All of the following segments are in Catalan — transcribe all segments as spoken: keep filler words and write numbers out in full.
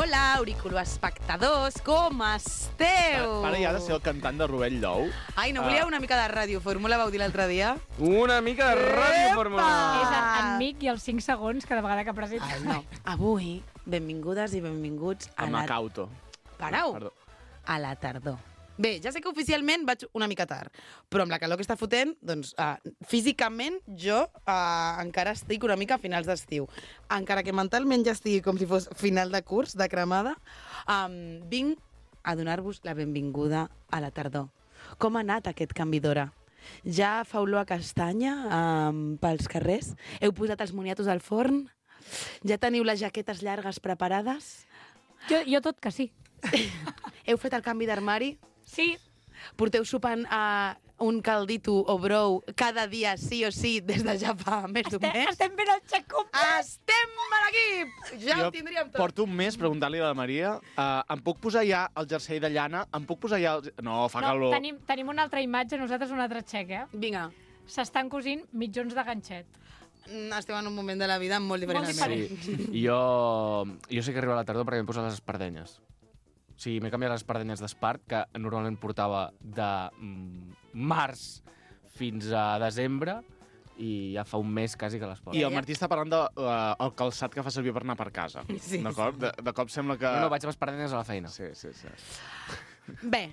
Hola, auriculoespectadors, com esteu? Ara ja ha de ser el cantant de Rovell d'Ou. Ai, no volia una mica de radiofórmula, vau dir l'altre dia? Una mica de radiofórmula. És en Mic i els cinc segons cada vegada que presenta. Ai, no. Avui, benvingudes i benvinguts a A la... Macauto. Parau! Perdó. A la tardor. Bé, ja sé que oficialment vaig una mica tard, però amb la calor que està fotent, doncs, uh, físicament jo uh, encara estic una mica a finals d'estiu. Encara que mentalment ja estigui com si fos final de curs, de cremada, um, vinc a donar-vos la benvinguda a la tardor. Com ha anat aquest canvi d'hora? Ja fa olor a castanya um, pels carrers? Heu posat els moniatos al forn? Ja teniu les jaquetes llargues preparades? Jo, jo tot que sí. Heu fet el canvi d'armari? Sí. Porteu sopant a un caldito o brou cada dia sí o sí des de ja fa més d'un Estem, mes? estem fent el xec complet. Estem a l'equip! Ja Jo ho tindríem tot. porto un mes preguntant-li a la Maria uh, em puc posar ja el jersei de llana? Em puc posar ja el... No, fa No, calor. tenim, tenim una altra imatge, nosaltres un altre xec, eh? Vinga, S'estan cosint mitjons de ganxet. mm, esteu en un moment de la vida molt diferent. Molt al meu. diferent. Sí. Jo, jo sé que arriba la tardor perquè m'he posat les espardenyes. O sigui, m'he canviat les espardenyes d'espart, que normalment portava de mm, març fins a desembre, i ja fa un mes quasi que les porto. I el Martí està parlant del de, uh, el calçat que fa servir per anar per casa. Sí, D'acord? De, de cop sembla que... No, no, vaig amb espardenyes a la feina. Sí, sí, sí. Bé,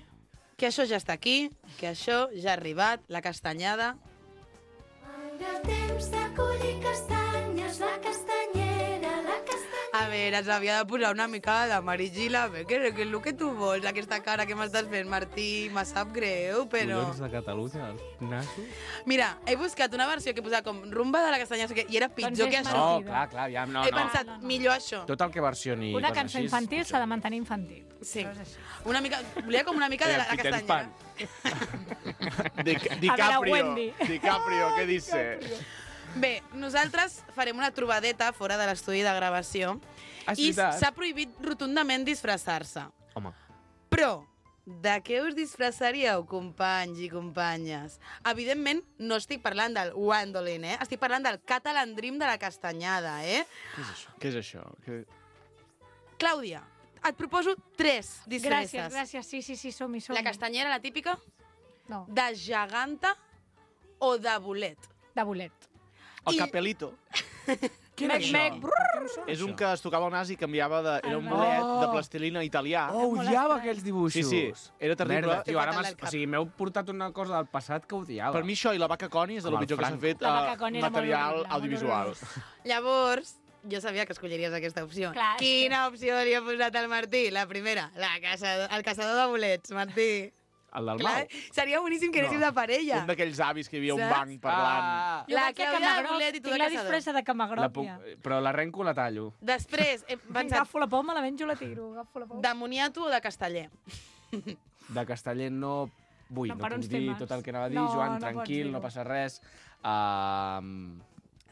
que això ja està aquí, que això ja ha arribat, la castanyada. El temps de collir castanyes, la castanyera, la castanyera. A veure, s'havia de posar una mica de Marigila, bé, què, què és el que tu vols? Aquesta cara que m'estàs fent, Martí, me sap greu, però... Collons de Catalunya, els nassos. Mira, he buscat una versió que posava com rumba de la castanya, no sé què, i era pitjor Doncs que és això. No, mentida. clar, clar, ja, no, He no. pensat, No, no, no. millor això. Tot el que versioni Una coses cançó així, infantil és s'ha de pitjor. mantenir infantil. Sí. Això és així. Una mica, volia com una mica de la, la Peter castanya. Pan. Di, DiCaprio. Wendy. DiCaprio, què dice? Bé, nosaltres farem una trobadeta fora de l'estudi de gravació Ah, és i veritat. s'ha prohibit rotundament disfressar-se. Home, Però, de què us disfressaríeu, companys i companyes? Evidentment, no estic parlant del Wandolin, eh? Estic parlant del Catalan Dream de la castanyada, eh? Què és això? Què és això? Que... Clàudia, et proposo tres disfresses. Gràcies, gràcies. Sí, sí, sí, som-hi, som-hi. La castanyera, la típica, No, de geganta o de bolet. de bolet. El I- capelito. Què Mec, mec, brrr. És un que es tocava el nas i canviava de... Era un Ah, bolet oh. de plastilina italià. Oh, molt odiava estrany. aquells dibuixos. Sí, sí, era terrible. Merda, tio, ara Fatal m'has... del cap. O sigui, m'heu portat una cosa del passat que odiava. Per mi això i la vaca Connie és de lo Com el pitjor que s'ha Franco. fet La a vaca Connie era molt material horrible, molt audiovisual. horrorós. Llavors, jo sabia que escolliries aquesta opció. Clar, és Quina opció li ha posat al Martí? La primera, la caçador, el caçador de bolets, Martí. El del Clar, Mau. seria boníssim que anéssiu No. de parella. Un d'aquells avis que hi havia un Saps? banc parlant. Ah, Jo La vaig a Clàudia de Camagroc, bolet i tu de tinc la caçador. disfressa de la Camagròpia. puc... Però l'arrenco o la tallo? Després, he pensat, Agafo la poma, la menjo, la tiro. Agafo la poma. de moniato o de casteller? De casteller no vull, No, no, per puc uns dir temes. tot el que anava a dir, No, Joan, no pots tranquil, dir-ho. no passa res. Uh,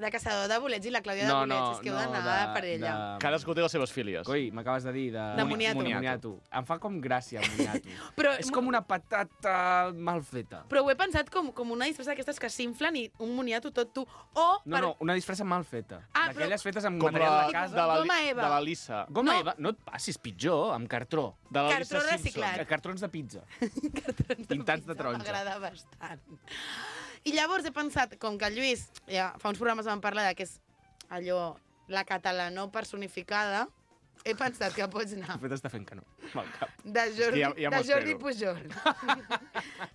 De caçador de bolets i la Clàudia no, de bolets. no, És que heu no, d'anar de, a parella. de... Cadascú té les seves fílies. Coi, m'acabes de dir de... De moniato. moniato. Em fa com gràcia, moniato. Però- És com una patata mal feta. Però ho he pensat com, com una disfressa d'aquestes que s'inflen i un moniato tot tu. O, No, no, una disfressa mal feta. Ah, però- D'aquelles fetes amb Com material la, de de casa. la, Goma Eva. de la Lisa. Goma No. Eva, no et passis, pitjor, amb cartró. De la Cartró Lisa reciclat. Simpson. Cartrons de pizza. Cartrons de Pintats de pizza, taronja. M'agrada bastant. I llavors he pensat, com que el Lluís, ja fa uns programes vam parlar de que és allò, la catalanó personificada, he pensat que pots anar De fet, està fent que no. Amb el cap. de Jordi, Ja- ja m'ho de Jordi espero. Pujol,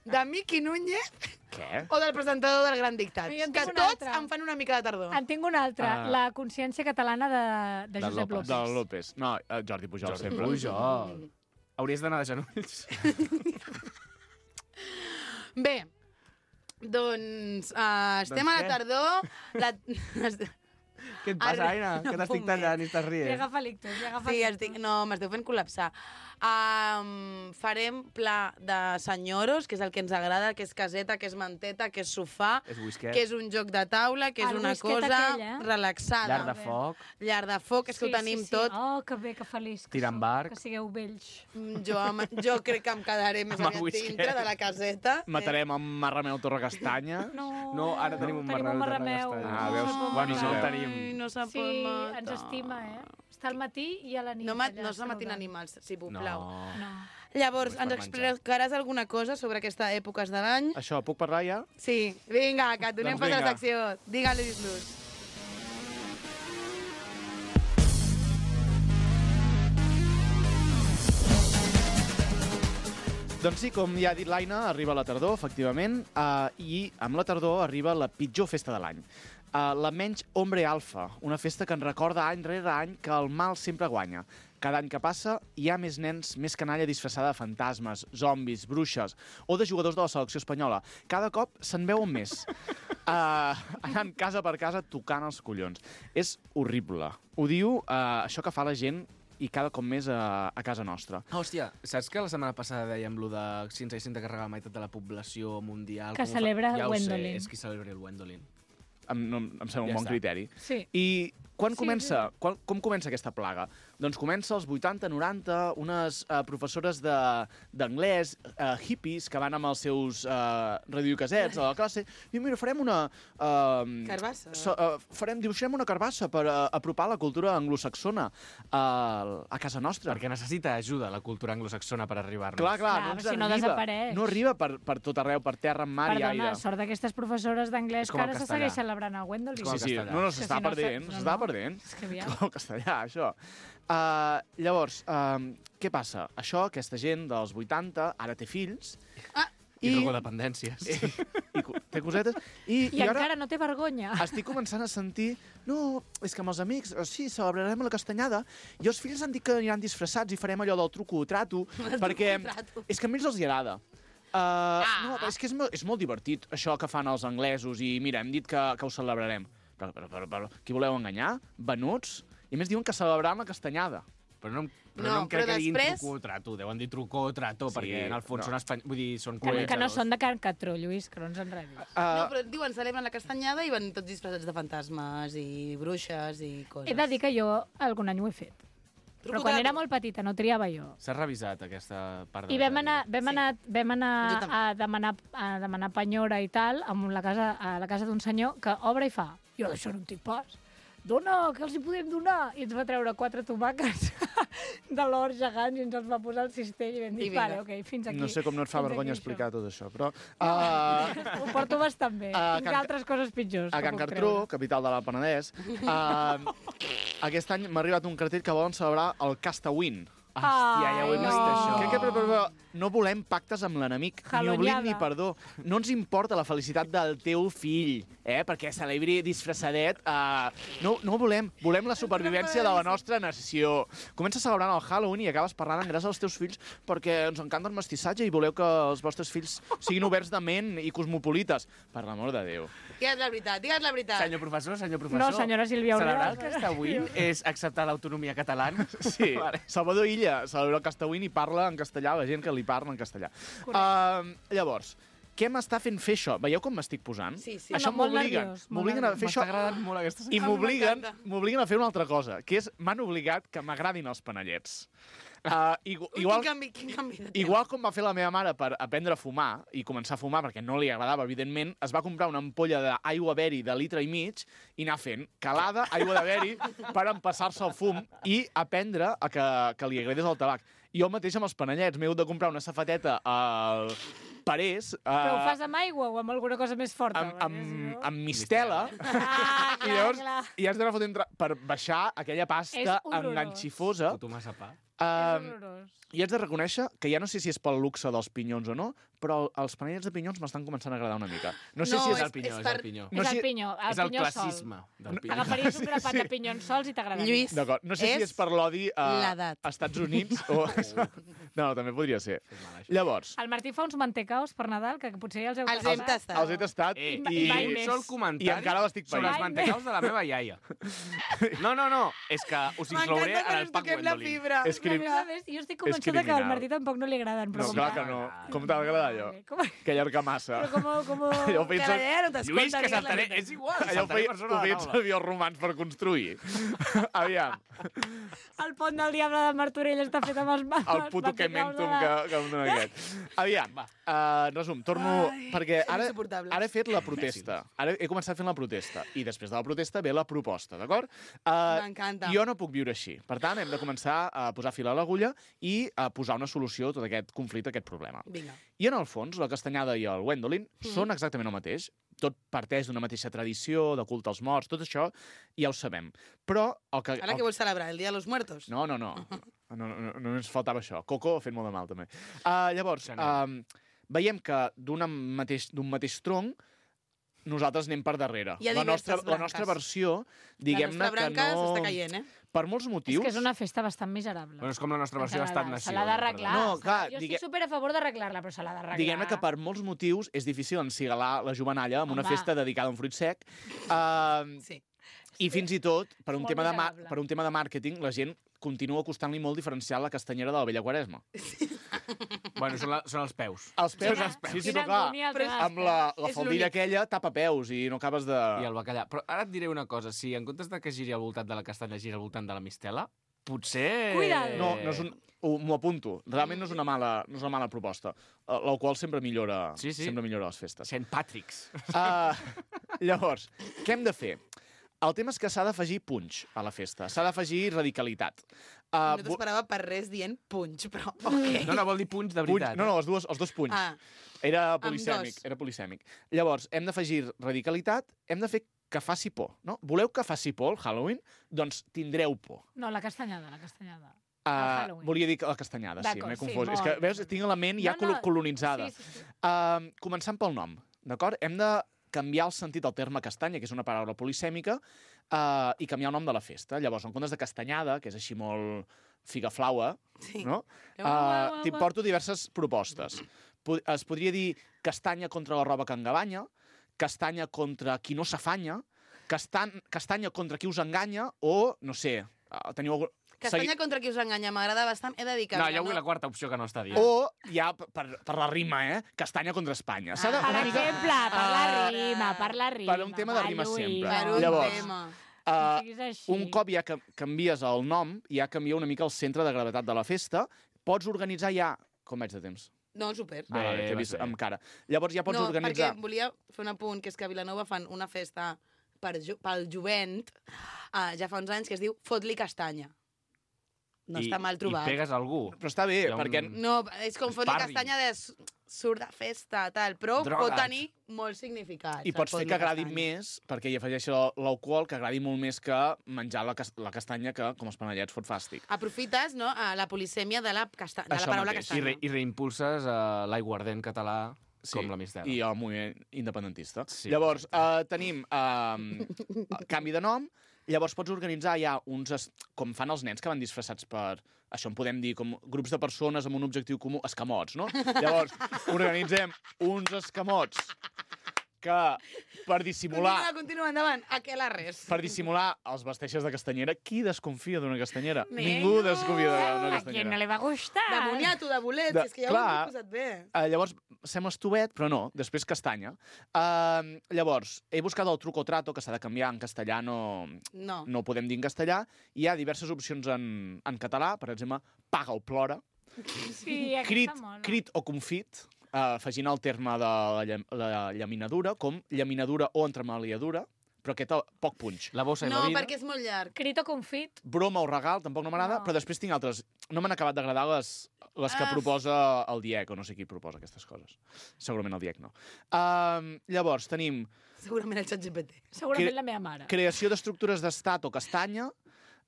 de Miqui Núñez Què? o del presentador del Gran Dictat. Jo en Que tinc un tots altre. em fan una mica de tardor. En tinc una altra, Ah. la consciència catalana de, de Del Josep López. López. Del López. No, eh, Jordi Pujol, Jordi sempre. Pujol. Hauries d'anar de genolls. Bé, doncs uh, estem Doncs a la què? tardor. La... Què et passa, Arre- Aina? no Que t'estic puc tallant i estàs Li rient. agafa l'ictus, li agafa Sí, l'ictus. estic... no, m'esteu fent col·lapsar. Um, farem pla de senyoros, que és el que ens agrada, que és caseta, que és manteta, que és sofà, És whisket. que és un joc de taula, que és El una whisket cosa aquell, eh? relaxada. Llar de foc. Llar de foc, és que ho tenim tot. Oh, que bé, que feliç. Que Tir amb sou, arc. Que sigueu vells. Mm, Jo, am- jo crec que em quedaré més Amb el aviat whisket. dintre de la caseta. Matarem amb Marrameu Torrecastanya. No, No, ara tenim un tenim un marrameu de marrameu. Castanya. Ah, veus? No, Bueno, no, no el no. tenim. Ai, no s'ha Sí, pot matar. ens estima, eh? Està al matí i a la nit. No, ma- allà, no es matin saludant. animals, si No. plau. No. Llavors, No és ens per menjar. explicaràs alguna cosa sobre aquesta èpoques de l'any? Això, puc parlar ja? Sí, vinga, que et donem Doncs pas a la vinga. secció. Digue-li-los. Doncs sí, com ja ha dit l'Aina, arriba la tardor, efectivament, uh, i amb la tardor arriba la pitjor festa de l'any. Uh, la menys Hombre Alfa, una festa que ens recorda any rere any que el mal sempre guanya. Cada any que passa hi ha més nens, més canalla disfressada de fantasmes, zombis, bruixes o de jugadors de la selecció espanyola. Cada cop se'n veuen més. Uh, anant casa per casa tocant els collons. És horrible. Ho diu uh, això que fa la gent i cada cop més a, a casa nostra. Ah, hòstia, saps que la setmana passada dèiem lo de si ens haguessin de carregar la meitat de la població mundial? Que com ho fa- celebra ja ho Gwendolyn. sé, és qui celebra el Gwendolyn. Em, no, em sembla un Ja bon està. criteri. Sí. I quan Sí, comença? Quan, com comença aquesta plaga? Doncs comença als vuitanta, noranta, unes uh, professores d'anglès, uh, hippies, que van amb els seus uh, radiocasets a la classe, i mira, farem una... Uh, Carbassa. So, uh, farem, dibuixarem una carbassa per uh, apropar la cultura anglosaxona uh, a casa nostra. Perquè necessita ajuda la cultura anglosaxona per arribar-nos. Clar, clar, Clar, no ens si no arriba. desapareix. No arriba per, per tot arreu, per terra, en mar i Perdona, aire. sort d'aquestes professores d'anglès És que com el ara se castellà. segueix celebrant a Gwendolyn. com Sí, el sí, castellà. no, no, És que s'està si no perdent, saps- s'està no, no. perdent. És que aviam. Com el castellà, això. Uh, llavors, uh, què passa? Això, aquesta gent dels vuitanta, ara té fills, Ah, I, I- I drogodependències. i, i co- té cosetes, i, I, i ara encara no té vergonya. estic començant a sentir no, és que amb els amics, eh, sí, celebrarem la castanyada, i els fills han dit que aniran disfressats i farem allò del truco o trato, perquè trato. és que a ells els hi agrada. Uh, ah. No, però és que és, mo- és molt divertit, això que fan els anglesos, i mira, hem dit que, que ho celebrarem. Però, però, però, però qui voleu enganyar? Venuts? I a més diuen que celebraran la castanyada. Però no, em- però No, no, em crec però que diguin després- truco o trato. Deuen dir truco o trato, Sí, perquè en el fons no. són espany... Vull dir, són Que, que no colonitzadors. són de Can Catró, Lluís, que no ens enredis. No, Uh, però diuen, celebren la castanyada i van tots disfressats de fantasmes i bruixes i coses. He de dir que jo algun any ho he fet. Però quan era molt petita no triava jo. S'ha revisat aquesta part de I la vam anar, tècnica. vam anar, vam anar Jo també. a, demanar, a demanar penyora i tal amb la casa, a la casa d'un senyor que obre i fa. Jo d'això no en tinc pas. Dona, que els hi podem donar? I ens va treure quatre tomàquets de l'or gegants i ens els va posar al cistell i vam dir, I vinga. vale, ok, fins aquí. no sé com no et fa Fins vergonya aquí, explicar tot això, però... Uh, Ho porto bastant bé. A Tinc Can- altres coses pitjors. a que Can puc Cartró, treure. capital de l'Alt Penedès, uh, aquest any m'ha arribat un cartell que volen celebrar el Castawin. Hòstia, ja ho he Ai, vist, no. això. Que, que, però, però, no volem pactes amb l'enemic, ni Jalonyada. oblit ni perdó. No ens importa la felicitat del teu fill, eh? Perquè celebri disfressadet. Uh, no, no ho volem. Volem la supervivència de la nostra nació. Comença celebrant el Halloween i acabes parlant en gràcia als teus fills perquè ens encanta el mestissatge i voleu que els vostres fills siguin oberts de ment i cosmopolites. Per l'amor de Déu. Digues la veritat, digues la veritat. Senyor professor, senyor professor... No, senyora Sílvia Celebrar Aurora. el Castawin és acceptar l'autonomia catalana? Sí, Vale. Salvador Illa celebra el Castawin i parla en castellà, la gent que li parla en castellà. Uh, llavors, què m'està fent fer això? Veieu com m'estic posant? Sí, sí. Això No, molt m'obliguen. nerviós, molt M'obliguen a nerviós. fer això M'està agradant molt aquesta i Ah, m'obliguen m'encanta. m'obliguen a fer una altra cosa, que és m'han obligat que m'agradin els panellets. Uh, igu Ui, igual, quin canvi, quin canvi de tema. igual com va fer la meva mare per aprendre a fumar i començar a fumar perquè no li agradava, evidentment, es va comprar una ampolla d'aigua beri de litre i mig i anar fent calada, aigua de beri, per empassar-se el fum i aprendre a que, que li agradés el tabac. I jo mateix amb els panellets m'he hagut de comprar una safateta al Parés Però ho uh, fas amb aigua o amb alguna cosa més forta? amb, perquè si amb, no- amb mistela. Ah, I clar, llavors clar. i has d'anar fotent tra- per baixar aquella pasta És horrorós. enganxifosa. Puto massa pa. És Um, horrorós. I haig de reconèixer que ja no sé si és pel luxe dels pinyons o no, però els panellets de pinyons m'estan començant a agradar una mica. No sé No, si És és... el pinyó, és és per- el pinyó. No és sé- el pinyó, el És el pinyó classisme del pinyó. Agafaries un grapat Sí. de pinyons sols i t'agradaria. Lluís, D'acord, no sé si és és per l'odi a, l'edat. a Estats Units o... No, també podria ser. Fes mal, això. Llavors, El Martí fa uns mantecaos per Nadal, que potser ja els heu Els hem tastat. tastat. els he tastat Eh, i, i mai un més. sol comentari i encara l'estic sobre païnt. els Mai mantecaus de la meva iaia. No, no, no, és que us inclouré M'encanta en que el ens Pac toquem la Gwendolyn. fibra. És que crim... A més, jo estic convençuda que al criminal. Martí tampoc no li agraden. Però No, com clar que- que no. Com t'ha d'agradar, allò? Com... Que allarga massa. Però com... com... Allò ho Que feien la ser- idea no t'escolta. Lluís, que digues la saltaré... veritat. És igual, Allò ho saltaré feien, per ho sobre feien la taula. servir els romans per construir. Aviam, El pont del diable de Martorell està fet amb els mapes. el puto Kementum que, que em dona aquest. Aviam, uh, resum, torno... Ai, perquè són ara, insuportables. ara he fet la protesta. Ara he començat fent la protesta. I després de la protesta ve la proposta, d'acord? Uh, M'encanta. Jo no puc viure així. Per tant, hem de començar a posar fil a l'agulla i a posar una solució a tot aquest conflicte, a aquest problema. Vinga. I en el fons, la Castanyada i el Gwendolyn mm. són exactament el mateix. Tot parteix d'una mateixa tradició, de culte als morts, tot això ja ho sabem. Però el que... Ara el... que vols celebrar? El Dia de los Muertos? No, no, no. No, no, no, no ens faltava això. Coco ha fet molt de mal, també. Uh, llavors, uh, veiem que d'un mateix, d'un mateix tronc nosaltres anem per darrere. Hi ha La nostra, diverses la nostra branques. versió, diguem-ne La nostra que branca no... s'està caient, eh? Per molts És motius... que és una festa bastant miserable. Bueno, és com la nostra versió En d'estat general. nació. Se l'ha d'arreglar. No, se- clar, Jo digue- estic super a favor d'arreglar-la, però se l'ha d'arreglar. Diguem-ne que per molts motius és difícil encigalar la jovenalla amb una Home. festa dedicada a un fruit sec. Uh, Sí. I fins i tot, per un, Molt tema de ma- miserable. per un tema de màrqueting, la gent continua costant-li molt diferenciar la castanyera de la vella Quaresma. Bueno, són, la, són els peus. Els peus, Quina- sí, sí, quina però clar, agonia el però tema amb la, la És faldilla l'únic. aquella tapa peus i no acabes de... I el bacallà. Però ara et diré una cosa. Si en comptes de que giri al voltant de la castanya, gira al voltant de la mistela, potser... Cuidado. No, no és un... ho- M'ho apunto. Realment no és una mala, no és una mala proposta. eh, La qual sempre millora, Sí, sí. sempre millora les festes. Saint Patrick's. Uh, llavors, què hem de fer? El tema és que s'ha d'afegir punx a la festa. S'ha d'afegir radicalitat. Uh, No t'esperava per res dient punx, però ok. No, no, vol dir punts de punx, veritat. no, no, els, dues, els dos punys. Ah, Era Amb polisèmic, dos. era polisèmic. Llavors, hem d'afegir radicalitat, hem de fer que faci por, no? Voleu que faci por el Halloween? Doncs tindreu por. No, la castanyada, la castanyada. Uh, Halloween. volia dir que la castanyada, sí, D'acord, m'he sí, confós. És molt. que, veus, tinc la ment ja No, no, colo- colonitzada. Sí, sí, sí. Uh, començant pel nom, d'acord? Hem de canviar el sentit del terme castanya, que és una paraula polisèmica, uh, i canviar el nom de la festa. Llavors, en comptes de castanyada, que és així molt figaflaua, sí. no? Uau, Uh, uau, T'hi uau. porto diverses propostes. Po- Es podria dir castanya contra la roba que engabanya, castanya contra qui no s'afanya, castan castanya contra qui us enganya, o, no sé, uh, teniu algun... Castanya contra qui us enganya, m'agrada bastant. He de dir que... No, jo vull la quarta opció que no està dient. O, ja, per, per la rima, eh? Castanya contra Espanya. S'ha de, Ah, Per una mica, exemple, per la Ah. rima, per la rima. Per un tema de va, rima Lluís, sempre. Per va. un Llavors, tema. No uh, siguis així. un cop ja que canvies el nom, ja canvia una mica el centre de gravetat de la festa, pots organitzar ja... Com vaig de temps? No, super. Ah, vale, t'he vas vist bé. amb cara. Llavors ja pots no, organitzar... perquè volia fer un apunt, que és que a Vilanova fan una festa per jo, pel jovent, uh, ja fa uns anys, que es diu Fot-li castanya. No I, està mal trobat. I pegues algú. Però està bé, Hi ha un- perquè... No, és com Fot-li Sparring. castanya de s- surt de festa, tal, però Droga't. pot tenir molt significat. I pots fer que agradi més, perquè hi afegeixi l'al- l'alcohol, que agradi molt més que menjar la, cas la castanya, que, com els panellets, fot fàstic. Aprofites, no, a la polisèmia de la, casta de la Això paraula mateix. I, castanya. re, i reimpulses uh, l'aiguardent català com la mistela. I el moviment independentista. Sí, Llavors, uh, tenim uh, canvi de nom, llavors pots organitzar ja uns... Es com fan els nens que van disfressats per... Això en podem dir com grups de persones amb un objectiu comú, escamots, no? Llavors, organitzem uns escamots que, per dissimular... Continua, continua, endavant. A què la res? Per dissimular els vesteixes de castanyera. Qui desconfia d'una castanyera? Ningú. Ningú desconfia d'una A qui castanyera. no li va gustar? De moniato, de bolet, De- és que ja clar. ho he posat bé. Uh, llavors, sembla estovet, però no, després castanya. Uh, llavors, he buscat el truco trato, que s'ha de canviar en castellà, no, No. no ho podem dir en castellà. Hi ha diverses opcions en, en català, per exemple, paga o plora, Sí, aquesta crit, mola. crit o confit, uh, afegint el terme de la, llam- la llaminadura, com llaminadura o entremaliadura, però aquest uh, poc punx. La bossa i No, la vida. perquè és molt llarg. Crit o confit? Broma o regal, tampoc no m'agrada, No. però després tinc altres. No m'han acabat d'agradar les, les que Ah. proposa el Diec, o no sé qui proposa aquestes coses. Segurament el Diec no. Uh, llavors, tenim Segurament el xat G P T. Segurament Cre- la meva mare. creació d'estructures d'estat o castanya,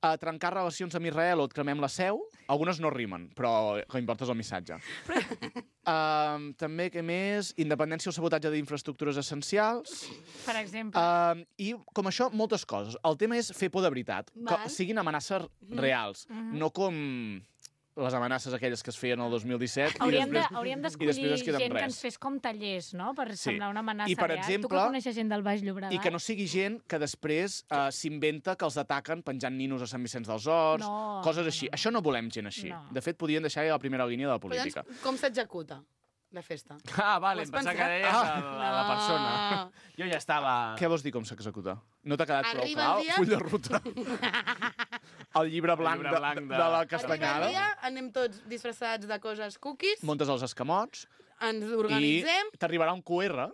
a trencar relacions amb Israel o et cremem la seu. Algunes no rimen, però el que importa és el missatge. uh, també, què més? Independència o sabotatge d'infraestructures essencials. Per exemple. Uh, I, com això, moltes coses. El tema és fer por de veritat, que Val. siguin amenaces reals, Mhm. no com les amenaces aquelles que es feien el dos mil disset Hauríem i després, de- hauríem i d'escollir després es queda gent amb que res. ens fes com tallers, no?, per Sí. semblar una amenaça I, per real. Tu exemple, que coneixes gent del Baix Llobregat? I que no sigui gent que després uh, s'inventa que els ataquen penjant ninos a Sant Vicenç dels Horts, No, coses no, així. no. Això no volem gent així. No. De fet, podrien deixar ja la primera línia de la Però política. llavors, com s'executa la festa? Ah, vale, Ho has em pensava que pensat? deies Ah. la, la, la persona. Jo ja estava... Què vols dir com s'executa? No t'ha quedat prou Arriba clar? el dia- Full de ruta. El llibre blanc, llibre de, blanc de, de- de la Arriba el castanyada. dia, anem tots disfressats de coses cookies, Muntes els escamots ens i organitzem... t'arribarà un Q R.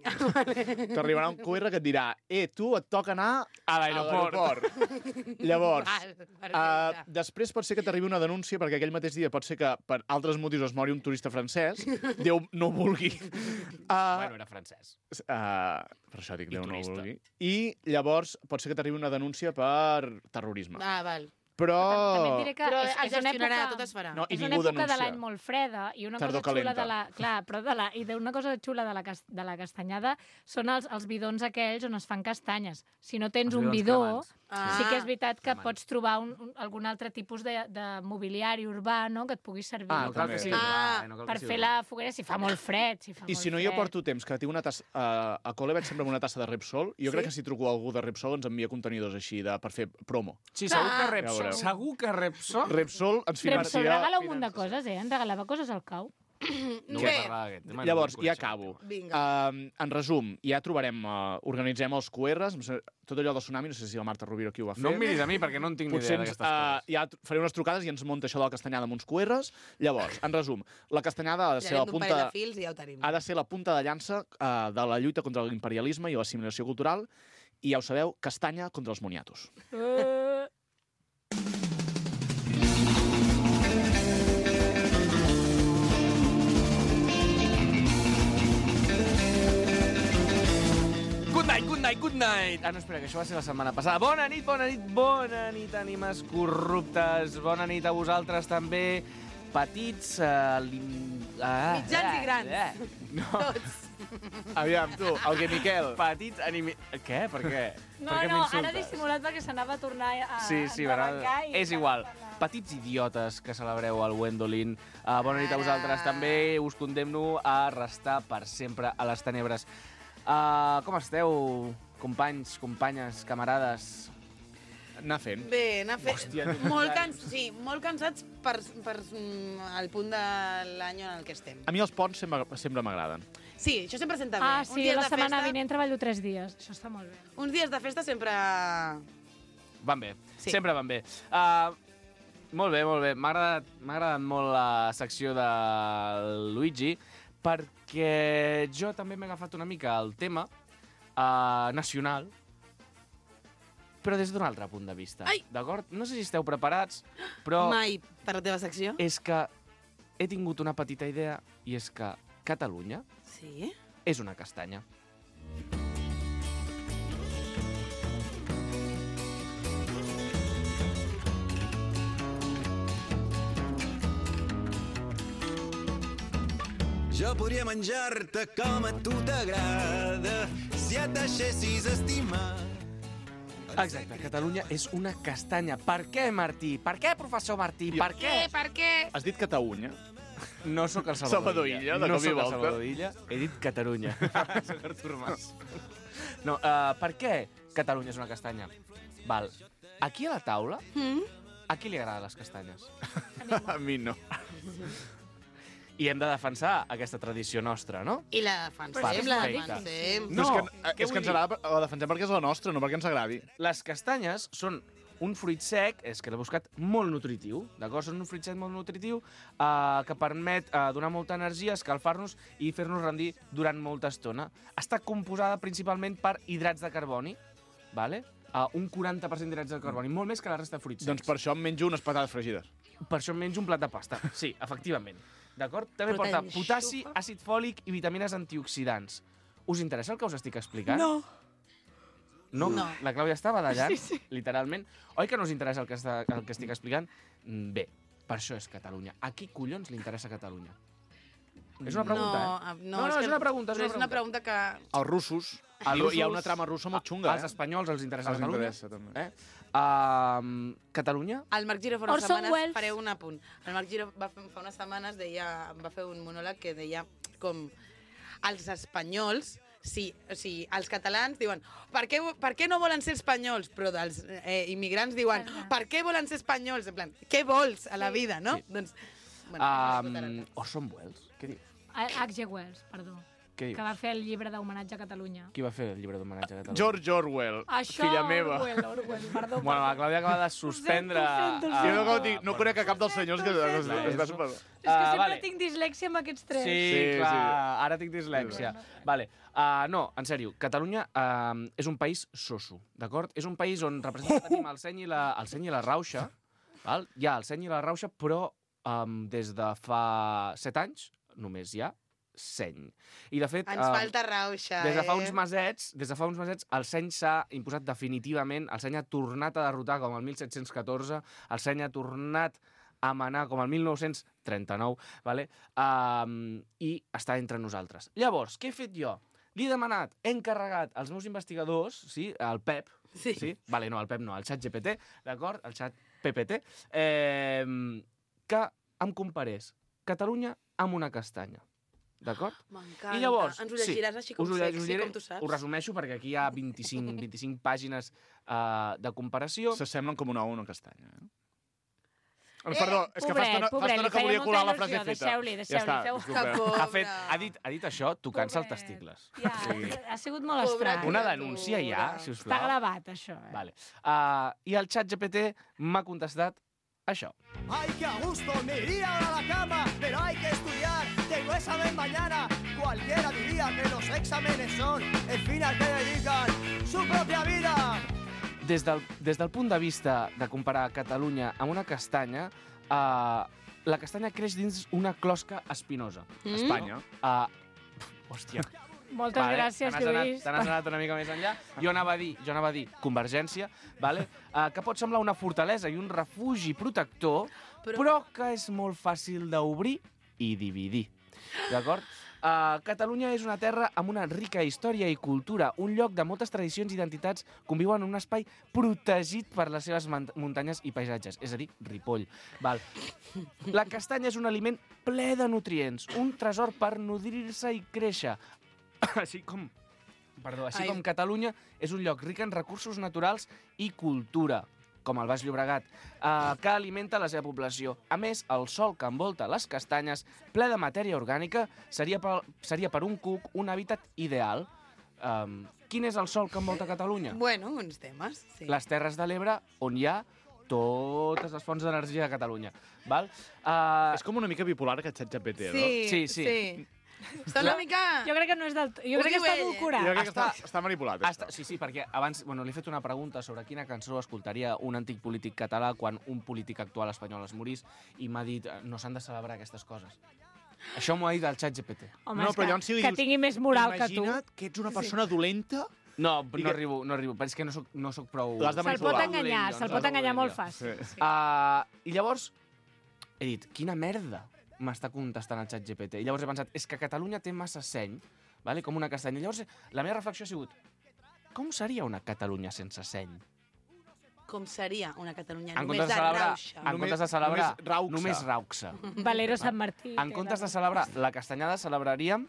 T'arribarà un Q R que et dirà eh, tu et toca anar A l'aeroport. l'aeroport. Llavors, Val, uh, perfecte. després pot ser que t'arribi una denúncia perquè aquell mateix dia pot ser que per altres motius es mori un turista francès. Déu no ho vulgui. Uh, Bueno, era francès. Uh, per això dic I Déu no ho turista. vulgui. I llavors pot ser que t'arribi una denúncia per terrorisme. Ah, val. Però... També et diré que Però és, es és una gestionarà, època... tot es farà. No, i és una ningú època denuncia. de l'any molt freda i una Tardor cosa xula calenta. de la... Clar, però de la, i d'una cosa xula de la, cas, de la castanyada són els, els bidons aquells on es fan castanyes. Si no tens Els un bidons bidó, cremants. Ah. sí que és veritat que Cremants. pots trobar un, un, algun altre tipus de, de mobiliari urbà, no?, que et pugui servir Ah, No cal també. que sigui Ah, urbà, eh? No cal per que fer sigui la urbà. foguera si fa molt fred. Si fa I molt si no jo fred. porto temps que tinc una tassa... Uh, a col·le vaig sempre amb una tassa de Repsol. Jo Sí? crec que si truco a algú de Repsol ens envia contenidors així de, per fer promo. Sí, segur que Ah. Ja Repsol. veureu. Segur que Repsol... Repsol ens Repsol financia... regala un munt de coses, eh? Ens regalava coses al cau. No Bé. vull parlar d'aquest tema. no Llavors, vull ja conèixer acabo. aquest tema. Vinga. Uh, en resum, ja trobarem, uh, organitzem els Q Rs, tot allò del tsunami, no sé si la Marta Rovira aquí ho va fer. No em miris a mi, perquè no en tinc ni Potser idea ens, d'aquestes uh, coses. ja tr- faré unes trucades i ens munta això de la castanyada amb uns Q Rs. Llavors, en resum, la castanyada ha de ser la Tirarem d'un parell punta... de fils i ja ho tenim. ha de ser la punta de llança uh, de la lluita contra l'imperialisme i l'assimilació cultural i ja ho sabeu, castanya contra els moniatos. Uh... Good night, good night, good night! Ah, no, espera, que això va ser la setmana passada. Bona nit, bona nit, bona nit, ànimes corruptes. Bona nit a vosaltres també, petits... Uh, lim... ah, Mitjans i grans. Eh. No, Tots. Aviam, tu, el que Miquel... petits animi... Què? Per què? No, per què no, m'insultes? ara he dissimulat perquè s'anava a tornar a Sí, sí, a ara... arrencar i És igual. Petits idiotes que celebreu el Wendolin. Uh, bona nit a Ara. vosaltres també. Us condemno a restar per sempre a les tenebres. Uh, com esteu, companys, companyes, camarades? Anar fent. Bé, anar fent... Hòstia, molt, cans... sí, molt cansats per, per mm, el punt de l'any en el que estem. A mi els ponts sempre, sempre m'agraden. Sí, això sempre senta bé. Ah, Uns sí, dies la de setmana festa, vinent treballo tres dies. Això està molt bé. Uns dies de festa sempre... Van bé, Sí. sempre van bé. Uh, molt bé, molt bé. M'ha agradat, m'ha agradat molt la secció de Luigi, perquè jo també m'he agafat una mica el tema uh, nacional, però des d'un altre punt de vista. Ai! D'acord? No sé si esteu preparats, però Mai per la teva secció. és que he tingut una petita idea, i és que Catalunya Sí? és una castanya. Jo podria menjar-te com a tu t'agrada si et deixessis estimar. Exacte, Catalunya és una castanya. Per què, Martí? Per què, professor Martí? Per què? Per què? Has dit Catalunya? No sóc el Salvador, Salvador Illa, de no cop i sóc el volta. Salvador Illa, he dit Catalunya. Soc Artur Mas. No, uh, per què Catalunya és una castanya? Val, aquí a la taula, Mm? a qui li agraden les castanyes? A mi no. I hem de defensar aquesta tradició nostra, no? I la defensem, Perfecte. la defensem. No, és que, què és que vull ens dir? agrada, la defensem perquè és la nostra, no perquè ens agradi. Les castanyes són un fruit sec, és que l'he buscat, molt nutritiu, d'acord? Són un fruit sec molt nutritiu eh, que permet eh, donar molta energia, escalfar-nos i fer-nos rendir durant molta estona. Està composada principalment per hidrats de carboni, vale? Uh, un quaranta per cent d'hidrats de carboni, molt més que la resta de fruits secs. Doncs per això em menjo unes patates fregides. Per això em menjo un plat de pasta. Sí, efectivament. D'acord? També Però porta t'enxufa. potassi, àcid fòlic i vitamines antioxidants. Us interessa el que us estic explicant? No. No? No. La Clàudia està badallant, sí, sí. literalment. Oi que no us interessa el que, està, el que estic explicant? Mm, Bé, per això és Catalunya. A qui collons li interessa Catalunya? És una pregunta, no, eh? no, no, no és, és que, una pregunta, és però una és una pregunta. pregunta que... Els russos I russos, hi ha una trama russa molt xunga, als eh? espanyols els interessa Els Catalunya. interessa, també. Eh? Uh, Catalunya? El Marc Giró fa unes Orson setmanes, Welles. faré un apunt. El Marc Giró va fer, fa unes setmanes deia, va fer un monòleg que deia com els espanyols, sí, o sigui, els catalans diuen per què, per què no volen ser espanyols? Però dels eh, immigrants diuen per què volen ser espanyols? En plan, què vols a la vida, no? Sí. Doncs, bueno, Um, Orson Welles? Què dius? H G Wells, perdó. Què Que dius? va fer el llibre d'homenatge a Catalunya. Qui va fer el llibre d'homenatge a Catalunya? George Orwell, Això, filla meva. Orwell, Orwell, perdó. Bueno, la perdó. Clàudia acaba de suspendre... Ho sento, ho a- Sí, sento. no, dic, no conec a cap dels senyors que Sento, es- sento. es va super... És que Ah, sempre vale. tinc dislèxia amb aquests tres. Sí, Sí, clar, sí. ara tinc dislèxia. Vale. Uh, no, en sèrio, Catalunya uh, és un país soso, d'acord? És un país on representa tenim el seny i la, el seny i la rauxa, val? Hi ha el seny i la rauxa, però um, des de fa set anys només hi ha seny. I, de fet... Ens um, falta rauxa, Des de fa eh? uns mesets, des de fa uns mesets, el seny s'ha imposat definitivament, el seny ha tornat a derrotar com el mil set-cents catorze, el seny ha tornat a manar com el mil nou-cents trenta-nou, vale? um, i està entre nosaltres. Llavors, què he fet jo? Li he demanat, he encarregat als meus investigadors, sí, el Pep, Sí. sí? Vale, no, el Pep no, el xat G P T, d'acord? El xat P P T, eh, que em comparés Catalunya amb una castanya. D'acord? M'encanta. I llavors, Ens ho llegiràs així com us ho lle- us sexy, llegiré, com tu saps? Ho resumeixo perquè aquí hi ha vint-i-cinc, vint-i-cinc pàgines uh, de comparació. S'assemblen com una o una castanya. Eh? Eh, Perdó, és que fa pobret, estona, fa pobret, estona li que feia volia molta colar la il·lusió, frase feta. deixeu-li, Ja deixeu-li, està, feu- disculpeu. Que por. Ha, fet, ha, dit, ha dit això tocant-se els Pobret. testicles. Ja, Sí. ha sigut molt Pobra estrany. Una criatura. denúncia ja, si us Està plau. gravat, això. Eh? Vale. Uh, I el xat G P T m'ha contestat això. Ay, qué a gusto, me iría ahora a la cama, pero hay que estudiar, tengo examen mañana. Cualquiera diría que los exámenes son el fin al que dedican su propia vida. Des del, des del punt de vista de comparar Catalunya amb una castanya, uh, la castanya creix dins una closca espinosa. Mm? Espanya. Uh, hòstia. Moltes gràcies, te n'has anat, Lluís. te n'has anat una mica més enllà. Jo anava a dir, jo anava a dir Convergència, vale? uh, que pot semblar una fortalesa i un refugi protector, però, Però- però que és molt fàcil d'obrir i dividir. D'acord? Uh, Catalunya és una terra amb una rica història i cultura, un lloc de moltes tradicions i identitats conviuen en un espai protegit per les seves muntanyes i paisatges, és a dir, Ripoll. Val. La castanya és un aliment ple de nutrients, un tresor per nodrir-se i créixer, així com, perdó, així Ai. com Catalunya és un lloc ric en recursos naturals i cultura, com el Baix Llobregat, eh, que alimenta la seva població. A més, el sòl que envolta les castanyes, ple de matèria orgànica, seria per, seria per un cuc un hàbitat ideal. Um, quin és el sòl que envolta Catalunya? Bueno, uns temes, sí. Les Terres de l'Ebre, on hi ha totes les fonts d'energia de Catalunya. Val? Uh, És com una mica bipolar aquest xat G P T, no? Sí, Sí, sí. sí. Està una mica... Jo crec que no és del... Jo Ho crec que diu està ell, eh? adulcorat. Jo crec que està, Està- està manipulat, Hasta, això. sí, sí, perquè abans bueno, li he fet una pregunta sobre quina cançó escoltaria un antic polític català quan un polític actual espanyol es morís i m'ha dit eh, no s'han de celebrar aquestes coses. Això m'ho ha dit el xat G P T. Home, No, és però que, llavors si li que dius, tingui més moral que tu. Imagina't que ets una persona dolenta. No, I no que- arribo, no arribo, però és que no soc, no soc prou... L'has de Se'l pot manipular. enganyar, Dolent, se'l doncs, pot enganyar dolent, molt jo. fàcil. Sí. Sí. Uh, I llavors he dit, quina merda m'està contestant el xat G P T. I llavors he pensat, és que Catalunya té massa seny, vale? Com una castanya. Llavors la meva reflexió ha sigut, com seria una Catalunya sense seny? Com seria una Catalunya En només comptes de de celebrar, rauxa? en Només- comptes de celebrar només rauxa. només rauxa. Valero Sant Martí. En comptes de celebrar la castanyada, celebraríem...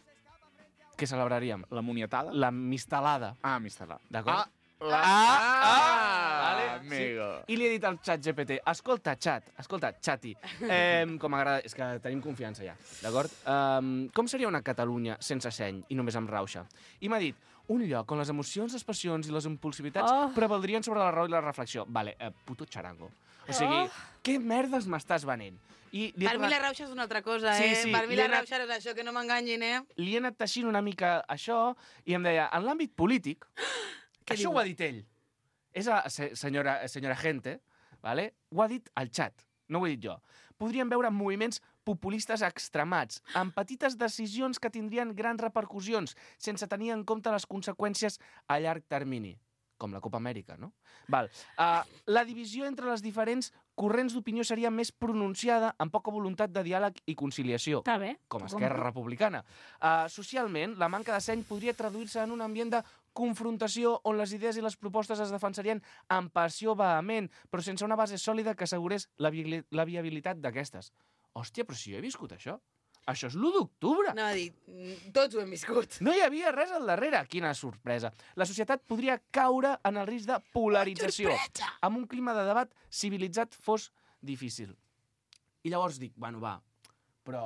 Què celebraríem? La moniatada? La mistelada. Ah, mistelada. D'acord? Ah, la... Ah, ah, vale, amigo. I li he dit al xat G P T, escolta, xat, escolta, xati, eh, com m'agrada, és que tenim confiança ja, d'acord? Um, com seria una Catalunya sense seny i només amb rauxa? I m'ha dit, un lloc on les emocions, les passions i les impulsivitats Oh. prevaldrien sobre la raó i la reflexió. Vale, eh, puto xarango. O sigui, Oh. què merdes m'estàs venent? I li he Per mi tornat- la rauxa és una altra cosa, Sí, eh? sí, Per mi li la he anat- rauxa és això, que no m'enganyin, eh? li he anat teixint una mica això i em deia, en l'àmbit polític, Què això diu? ho ha dit ell. És a se- senyora, senyora gente, vale? Ho ha dit al xat, no ho he dit jo. Podríem veure moviments populistes extremats, amb petites decisions que tindrien grans repercussions, sense tenir en compte les conseqüències a llarg termini, com la Copa Amèrica, no? Val. Uh, la divisió entre les diferents corrents d'opinió seria més pronunciada, amb poca voluntat de diàleg i conciliació Està bé. com a T'ho Esquerra compro. Republicana. Uh, socialment, la manca de seny podria traduir-se en un ambient de confrontació on les idees i les propostes es defensarien amb passió vehement, però sense una base sòlida que assegurés la, vi la viabilitat d'aquestes. Hòstia, però si jo he viscut això. Això és l'u d'octubre. Anava a dir, tots ho hem viscut. No hi havia res al darrere. Quina sorpresa. La societat podria caure en el risc de polarització. Amb un clima de debat civilitzat fos difícil. I llavors dic, bueno, va, però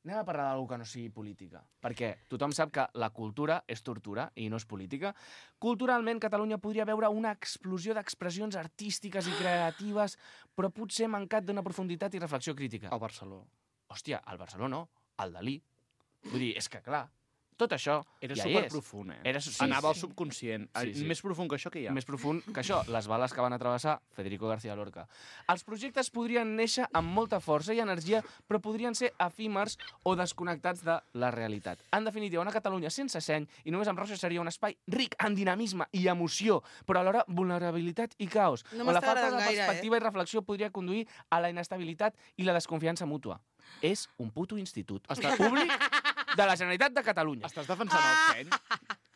anem a parlar d'alguna que no sigui política. Perquè tothom sap que la cultura és tortura i no és política. Culturalment, Catalunya podria veure una explosió d'expressions artístiques i creatives, però potser mancat d'una profunditat i reflexió crítica. Al Barcelona. Hòstia, al Barcelona no, al Dalí. Vull dir, és que clar, tot això Era ja hi és. superprofund, eh? Era, sí, Anava al sí. subconscient. Sí, sí. Més profund que això que hi ha. Més profund que això, les bales que van atravessar Federico García Lorca. Els projectes podrien néixer amb molta força i energia, però podrien ser efímers o desconnectats de la realitat. En definitiva, una Catalunya sense seny i només amb Rosa seria un espai ric en dinamisme i emoció, però alhora vulnerabilitat i caos. No on la m'està falta de agradant gaire, perspectiva i reflexió podria conduir a la inestabilitat i la desconfiança mútua. És un puto institut Està- públic de la Generalitat de Catalunya. Estàs defensant el seny?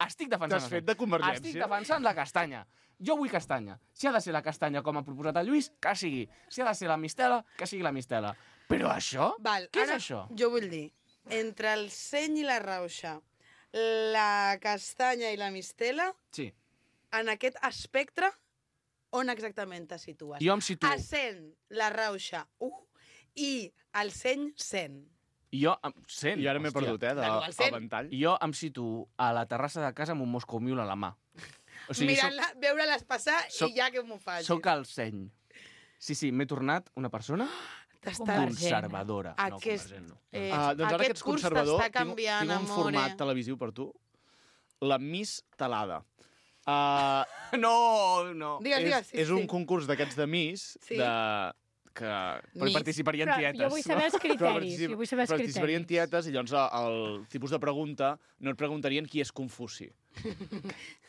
Estic defensant T'has el fet seny. de Convergència? Estic defensant la castanya. Jo vull castanya. Si ha de ser la castanya com ha proposat el Lluís, que sigui. Si ha de ser la mistela, que sigui la mistela. Però això? Val, Què ara és això? Jo vull dir, entre el seny i la rauxa, la castanya i la mistela, Sí. en aquest espectre, on exactament te situes? Jo em situo... A cent, la rauxa, u, i el seny, cent. Jo, em- sent, I ara m'he hòstia. perdut, eh, de, Bueno, al cent. al ventall. Jo em situo a la terrassa de casa amb un Moscou Mule a la mà. O sigui, soc, Mirant-la, veure-les passar soc- i ja que m'ho facis. soc el seny. Sí, sí, m'he tornat una persona T'està... conservadora. Aquest, No, convergent, no. eh, Ah, doncs ara que aquest ets curs conservador, t'està tinc, canviant, tinc un amore. format televisiu per tu. La Miss Talada. Uh, No, no. Digues, és digues, sí, és un sí. concurs d'aquests de Miss, Sí. de, que Però Miss. participarien Però tietes. jo vull saber els Però criteris. particip- Jo vull saber els participarien criteris. tietes i llavors el, el tipus de pregunta no et preguntarien qui és Confuci.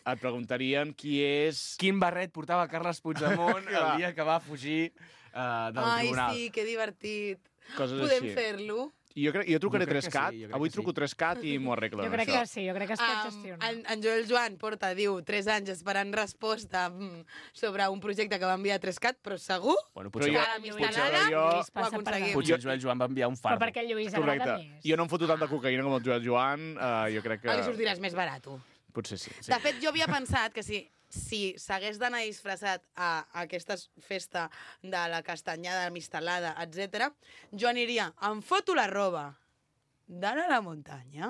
Et preguntarien qui és... Quin barret portava Carles Puigdemont Clar. el dia que va fugir uh, del Ai, tribunal. sí, que divertit. Coses Podem així. fer-lo? I jo, crec, jo trucaré Jo crec que tres cat, sí, jo crec avui que truco sí. tres cat i m'ho arreglen, Jo crec això. que sí, jo crec que es pot Um, gestionar. en, en Joel Joan porta, diu, tres anys esperant resposta mm, sobre un projecte que va enviar a Trescat, però segur Bueno, Però potser, jo- que a la potser Mistalada jo- ho Lluís passa per aconseguim. potser el Joel Joan va enviar un Però fardo. perquè el Lluís Correcte. agrada més. Jo no em foto tanta cocaïna com el Joel Joan, uh, jo crec que... que... li sortiràs més barat. Potser sí. sí. De fet, jo havia pensat que si si s'hagués d'anar disfressat a, a aquesta festa de la castanyada, la mistelada, etcètera, jo aniria, em foto la roba d'anar a la muntanya,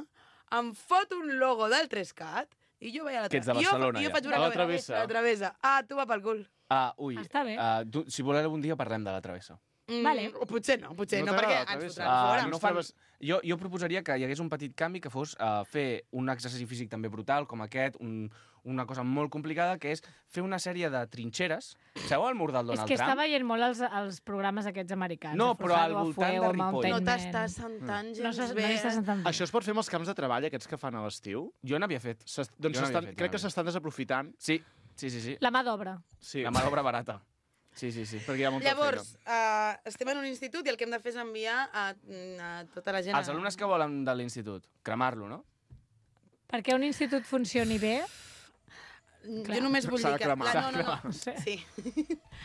em foto un logo del Trescat i jo vaig a la Que ets de jo, Barcelona, jo ja. faig una A la cosa- travessa. A la travessa. Ah, tu va pel cul. Ah, ui. Està bé. Uh, tu, si voleu un dia parlem de la travessa. Mm, Vale. o potser no, potser No no, perquè t'agrada la ens travessa? fotran Ah, fora. no fan... jo, jo proposaria que hi hagués un petit canvi que fos uh, fer un exercici físic també brutal, com aquest, un, una cosa molt complicada, que és fer una sèrie de trinxeres. Sabeu el mur del És Donald que Trump? està veient molt els, els programes aquests americans. No, el però al Forjado a voltant Fuego, de Ripoll. Mountain No Man. t'estàs sentant No gens s'està bé. no estàs sentant bé. Això es pot fer amb els camps de treball, aquests que fan a l'estiu? Jo n'havia fet. S'est- Jo Doncs n'havia s'estan- fet, crec que n'havia s'estan desaprofitant. Sí, sí, sí. sí. La mà d'obra. Sí, La mà d'obra barata. Sí, sí, sí. perquè hi ha molta Llavors, uh, estem en un institut i el que hem de fer és enviar a, a tota la gent... Els alumnes que volen de l'institut, cremar-lo, no? Perquè un institut funcioni bé, Jo només vull S'ha dir de que... cremar. La, no, no, no. no sé. Sí.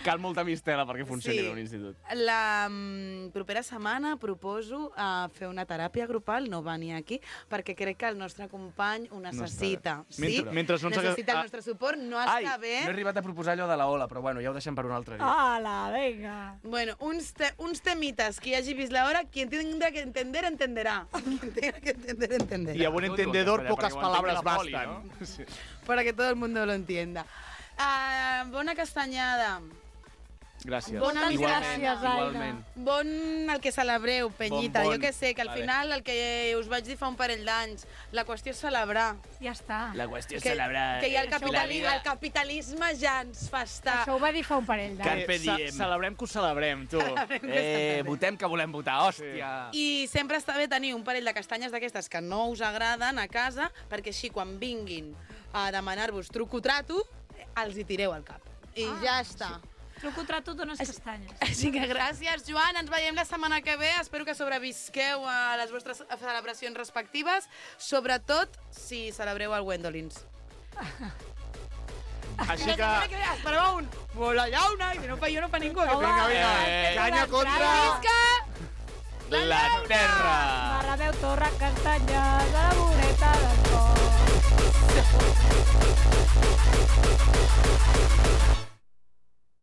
Cal molta mistela perquè funcioni Sí. bé un institut. La mm, propera setmana proposo uh, fer una teràpia grupal, no venir aquí, perquè crec que el nostre company ho necessita. bé. Mentre- mentre no ens haga- necessita el ah. nostre suport, no Ai, està bé. no he arribat a proposar allò de la ola, però bueno, ja ho deixem per un altre dia. Hola, vinga. Bueno, uns, te uns temites, qui hagi vist l'hora, quien tenga que entender, entenderà. Quien tenga que entender, entenderà. Y a buen entendedor Perquè pocas ho entengui palabras la poli, bastan. no? Sí. Para que todo el mundo lo entienda. Uh, bona castanyada. Gràcies. Bona Moltes Igualment, gràcies, Aina. igualment. Bon el que celebreu, Penyita. Bon, bon. Jo que sé, que al Vale. final el que us vaig dir fa un parell d'anys, la qüestió és celebrar. Ja està. La qüestió és Que, celebrar... que ja el, la capitali vida. el capitalisme ja ens fa estar... Això ho va dir fa un parell d'anys. Carpe Ce- diem. Celebrem que ho celebrem, tu. Eh, votem que volem votar, hòstia. I sempre està bé tenir un parell de castanyes d'aquestes que no us agraden a casa, perquè així quan vinguin a demanar-vos truco-trato, els hi tireu al cap. I Ah, ja està. Truco trato dones castanyes. Així que gràcies, Joan. Ens veiem la setmana que ve. Espero que sobrevisqueu a les vostres celebracions respectives, sobretot si celebreu el Gwendolins. Així que... Esperava un... Bola llauna, i si no fa jo, no fa ningú. Home, Vinga, vinga, eh, canya contra... Visca! La terra! Marrameu, torra, castanyes, a la voreta del cor.